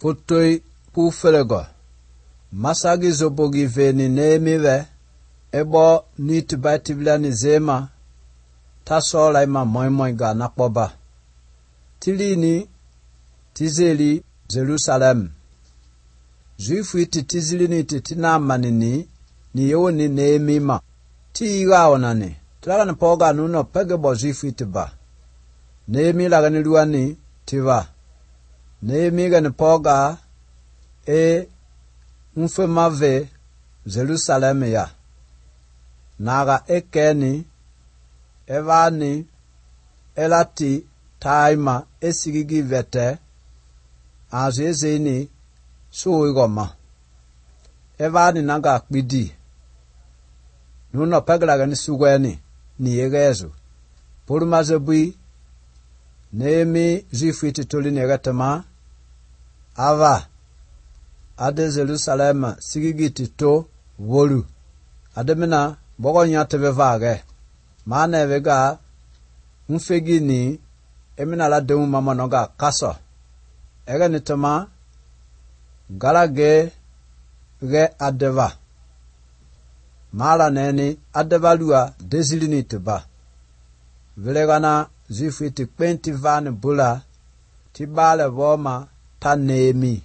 Putoi pufelego. Masagi zobogi veni neemive. Ebo nit baitibilani zema. Tasola ima moi ga nakboba. Tilini tizeli Jerusalem. Juifu iti tizilini iti tinamanini ni yoni neemima. Ti iga onani. Tlaga poga nuno pegebo juifu iti ba. Neemi laga ni luani tiba. Neemi gani poga mfemave Jerusalem ya. Naga ekeni evani elati taima esigigi vete azezeni suigoma. Evani naga akpidi. Nuno peglaga ni sugweni ni yegezu. Purumazebui Neemi zifiti tuli negatama. Ava ade Jerusalem sigigiti to wolu. Ademina bogo nyatebe vage. Maana vega mfegini emina la demu mama noga kaso. Ega nitama galage ge adeva. Mala neni adeva lua dezilini tiba. Vilegana zifiti kwenti vani bula tibale voma ta Neemi.